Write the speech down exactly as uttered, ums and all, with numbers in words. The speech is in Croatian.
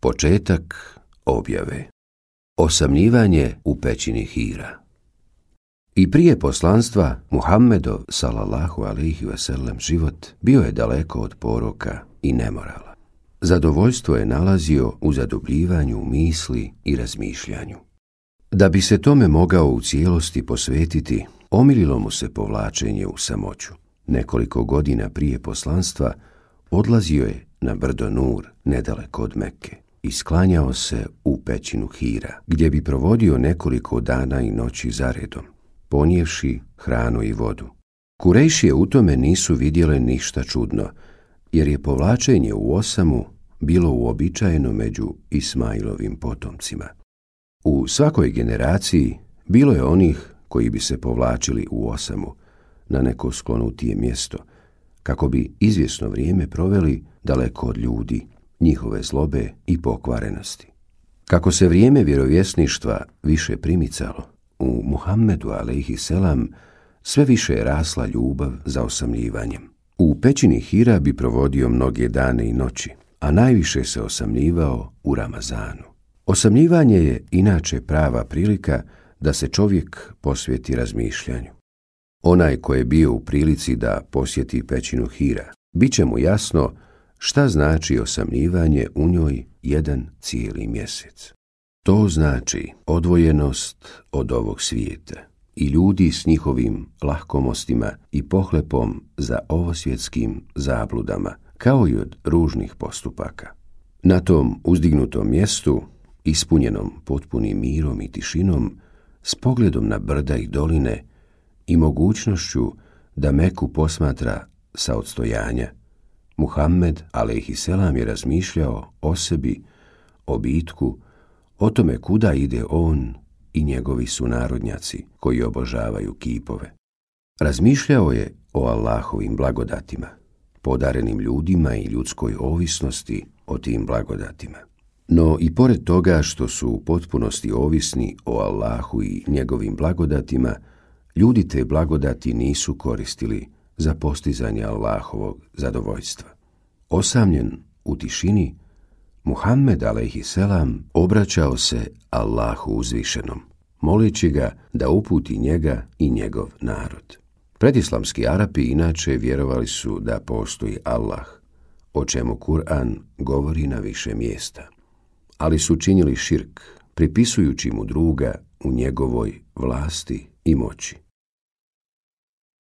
Početak objave. Osamljivanje u pećini Hira. I prije poslanstva Muhammedov sallallahu alejhi ve sellem život bio je daleko od poroka i nemorala. Zadovoljstvo je nalazio u zadobljivanju misli i razmišljanju. Da bi se tome mogao u cijelosti posvetiti, omililo mu se povlačenje u samoću. Nekoliko godina prije poslanstva odlazio je na brdo Nur, nedaleko od Mekke, i sklanjao se u pećinu Hira, gdje bi provodio nekoliko dana i noći zaredom, ponijevši hranu i vodu. Kurejšije u tome nisu vidjele ništa čudno, jer je povlačenje u osamu bilo uobičajeno među Ismailovim potomcima. U svakoj generaciji bilo je onih koji bi se povlačili u osamu na neko sklonutije mjesto, kako bi izvjesno vrijeme proveli daleko od ljudi, njihove zlobe i pokvarenosti. Kako se vrijeme vjerovjesništva više primicalo, u Muhammedu alejhi selam sve više je rasla ljubav za osamljivanjem. U pećini Hira bi provodio mnoge dane i noći, a najviše se osamljivao u Ramazanu. Osamljivanje je inače prava prilika da se čovjek posveti razmišljanju. Onaj ko je bio u prilici da posjeti pećinu Hira, bit će mu jasno šta znači osamljivanje u njoj jedan cijeli mjesec. To znači odvojenost od ovog svijeta i ljudi s njihovim lahkomostima i pohlepom za ovosvjetskim zabludama, kao i od ružnih postupaka. Na tom uzdignutom mjestu, ispunjenom potpunim mirom i tišinom, s pogledom na brda i doline i mogućnošću da Meku posmatra sa odstojanja, Muhammed alejhi selam je razmišljao o sebi, o bitku, o tome kuda ide on i njegovi sunarodnjaci koji obožavaju kipove. Razmišljao je o Allahovim blagodatima, podarenim ljudima i ljudskoj ovisnosti o tim blagodatima. No i pored toga što su u potpunosti ovisni o Allahu i njegovim blagodatima, ljudi te blagodati nisu koristili za postizanje Allahovog zadovoljstva. Osamljen u tišini, Muhammed alejhi selam obraćao se Allahu uzvišenom, moleći ga da uputi njega i njegov narod. Predislamski Arapi inače vjerovali su da postoji Allah, o čemu Kur'an govori na više mjesta, ali su činili širk, pripisujući mu druga u njegovoj vlasti i moći.